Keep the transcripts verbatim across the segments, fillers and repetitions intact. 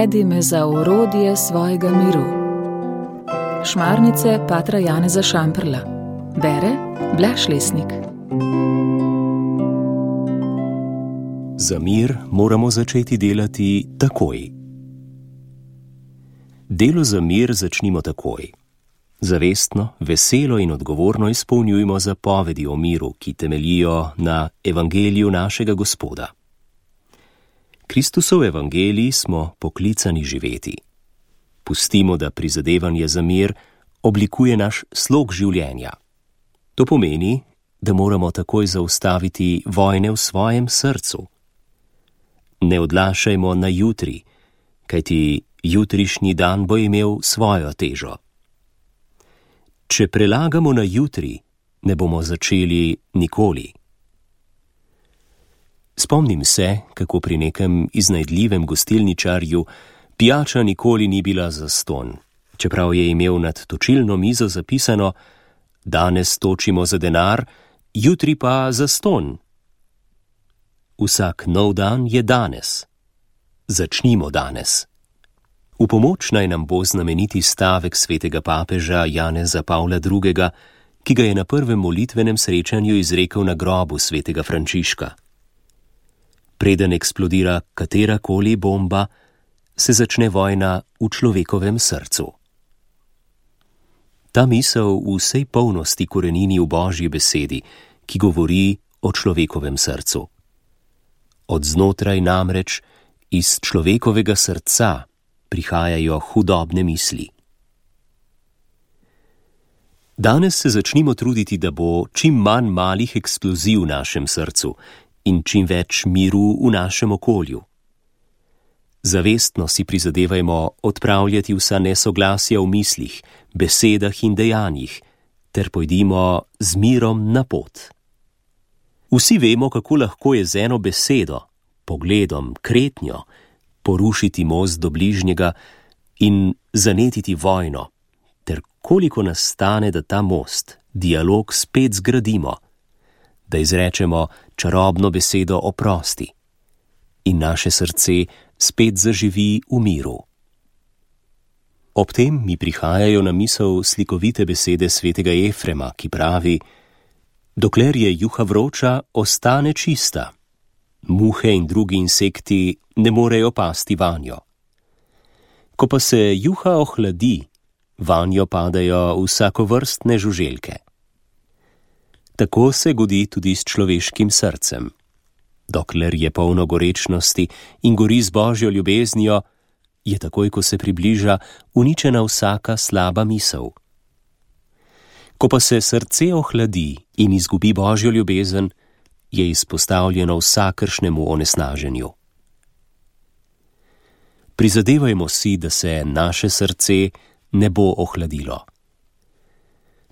Navedi me za orodje svojega miru. Šmarnice patra Janeza Šamprla. Bere Blaž Lesnik. Za mir moramo začeti delati takoj. Delo za mir začnimo takoj. Zavestno, veselo in odgovorno izpolnjujmo zapovedi o miru, ki temeljijo na evangeliju našega Gospoda. Kristusov evangelij smo poklicani živeti. Pustimo, da prizadevanje za mir oblikuje naš slog življenja. To pomeni, da moramo takoj zaustaviti vojne v svojem srcu. Ne odlašajmo na jutri, kajti jutrišnji dan bo imel svojo težo. Če prelagamo na jutri, ne bomo začeli nikoli. Spomnim se, kako pri nekem iznajdljivem gostilničarju pijača nikoli ni bila zastonj, čeprav je imel nad točilno mizo zapisano: danes točimo za denar, jutri pa zastonj. Vsak nov dan je danes. Začnimo danes. V pomoč naj nam bo znameniti stavek svetega papeža Janeza Pavla drugega., ki ga je na prvem molitvenem srečanju izrekel na grobu svetega Frančiška. Preden eksplodira katerakoli bomba, se začne vojna v človekovem srcu. Ta misel v vsej polnosti korenini v Božji besedi, ki govori o človekovem srcu. Od znotraj namreč, iz človekovega srca, prihajajo hudobne misli. Danes se začnimo truditi, da bo čim manj malih eksplozij v našem srcu in čim več miru v našem okolju. Zavestno si prizadevajmo odpravljati vsa nesoglasja v mislih, besedah in dejanjih, ter pojdimo z mirom na pot. Vsi vemo, kako lahko je z eno besedo, pogledom, kretnjo, porušiti most do bližnjega in zanetiti vojno, ter koliko nas stane, da ta most, dialog spet zgradimo, da izrečemo čarobno besedo oprosti in naše srce spet zaživi v miru. Ob tem mi prihajajo na misel slikovite besede svetega Efrema, ki pravi: dokler je juha vroča, ostane čista. Muhe in drugi insekti ne morejo pasti vanjo. Ko pa se juha ohladi, vanjo padajo vsakovrstne žuželke. Tako se godi tudi s človeškim srcem. Dokler je polno gorečnosti in gori z Božjo ljubeznijo, je takoj, ko se približa, uničena vsaka slaba misel. Ko pa se srce ohladi in izgubi Božjo ljubezen, je izpostavljeno vsakršnemu onesnaženju. Prizadevajmo si, da se naše srce ne bo ohladilo.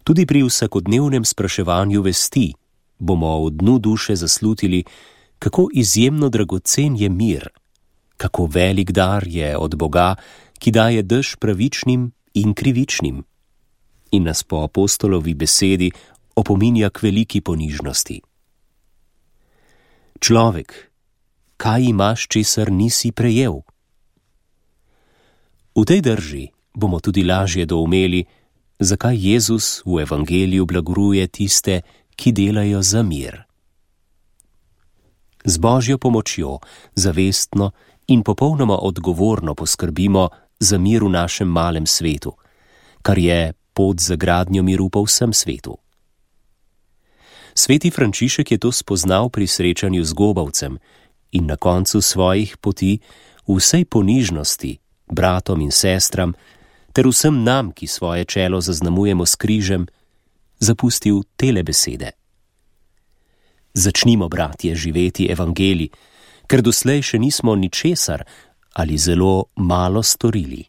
Tudi pri vsakodnevnem spraševanju vesti bomo v dnu duše zaslutili, kako izjemno dragocen je mir, kako velik dar je od Boga, ki daje dež pravičnim in krivičnim, in nas po apostolovi besedi opominja k veliki ponižnosti. Človek, kaj imaš, česar nisi prejel? V tej drži bomo tudi lažje doumeli, zakaj Jezus v evangeliju blagoruje tiste, ki delajo za mir. Z Božjo pomočjo zavestno in popolnoma odgovorno poskrbimo za mir v našem malem svetu, kar je pot za gradnjo miru po vsem svetu. Sveti Frančišek je to spoznal pri srečanju z gobavcem in na koncu svojih poti v vsej ponižnosti bratom in sestram ter vsem nam, ki svoje čelo zaznamujemo s križem, zapustil tele besede. Začnimo, bratje, živeti evangelij, ker doslej še nismo ničesar ali zelo malo storili.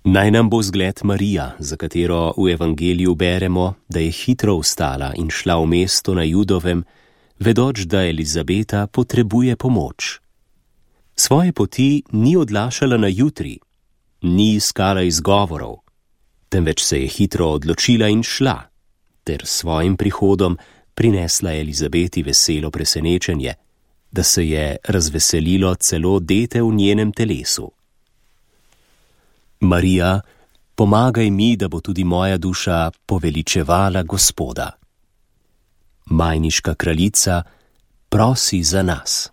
Naj nam bo zgled Marija, za katero v evangeliju beremo, da je hitro vstala in šla v mesto na Judovem, vedoč, da Elizabeta potrebuje pomoč. Svoje poti ni odlašala na jutri, ni iskala izgovorov, temveč se je hitro odločila in šla, ter svojim prihodom prinesla Elizabeti veselo presenečenje, da se je razveselilo celo dete v njenem telesu. Marija, pomagaj mi, da bo tudi moja duša poveličevala Gospoda. Majniška kraljica, prosi za nas.